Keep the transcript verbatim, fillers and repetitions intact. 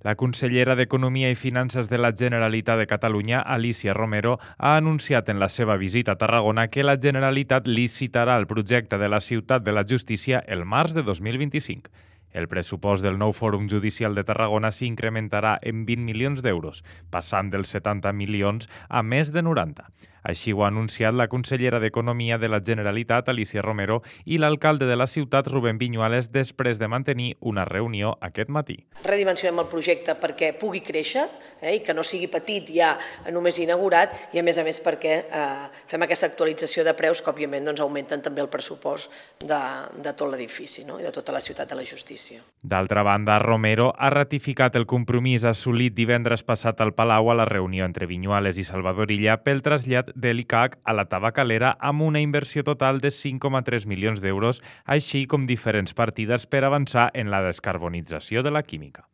La consellera d'Economia i Finances de la Generalitat de Catalunya, Alícia Romero, ha anunciat en la seva visita a Tarragona que la Generalitat licitarà el projecte de la Ciutat de la Justícia el març de dos mil vint-i-cinc. El pressupost del nou Fòrum Judicial de Tarragona s'incrementarà en vint milions d'euros, passant dels setanta milions a més de noranta. Així ho ha anunciat la consellera d'Economia de la Generalitat, Alícia Romero, i l'alcalde de la ciutat, Rubén Viñuales, després de mantenir una reunió aquest matí. Redimensionem el projecte perquè pugui créixer eh, i que no sigui petit ja només inaugurat i, a més a més, perquè eh, fem aquesta actualització de preus que, òbviament, doncs, augmenten també el pressupost de, de tot l'edifici, no? I de tota la ciutat de la justícia. D'altra banda, Romero ha ratificat el compromís assolit divendres passat al Palau a la reunió entre Viñuales i Salvador Illa pel trasllat de l'I C A C a la Tabacalera amb una inversió total de cinc coma tres milions d'euros, així com diferents partides per avançar en la descarbonització de la química.